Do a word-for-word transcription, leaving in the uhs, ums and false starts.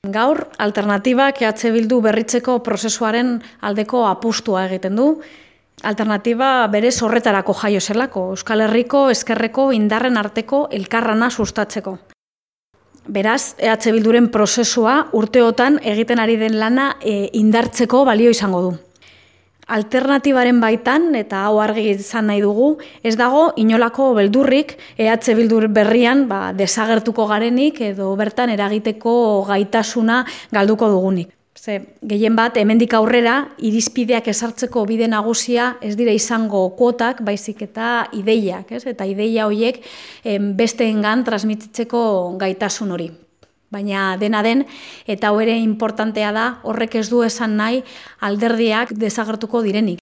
Gaur, alternatibak E H Bildu berritzeko prozesuaren aldeko apustua egiten du. Alternatiba berez horretarako jaio zelako, Euskal Herriko ezkerreko indarren arteko elkarrana sustatzeko. Beraz, E H Bilduren prozesua urteotan egiten ari den lana e, indartzeko balio izango du. Alternatibaren baitan, eta hau argi izan nahi dugu, ez dago inolako beldurrik E H Bildu berrian ba, desagertuko garenik edo bertan eragiteko gaitasuna galduko dugunik. Ze, gehien bat, hemendik aurrera, irizpideak ezartzeko bide nagusia ez dira izango kuotak, baizik eta ideiak, ez? Eta ideia horiek em, besteengan transmititzeko gaitasun hori. Baina dena den, eta hau ere importantea da, horrek ez du esan nahi alderdiak desagertuko direnik.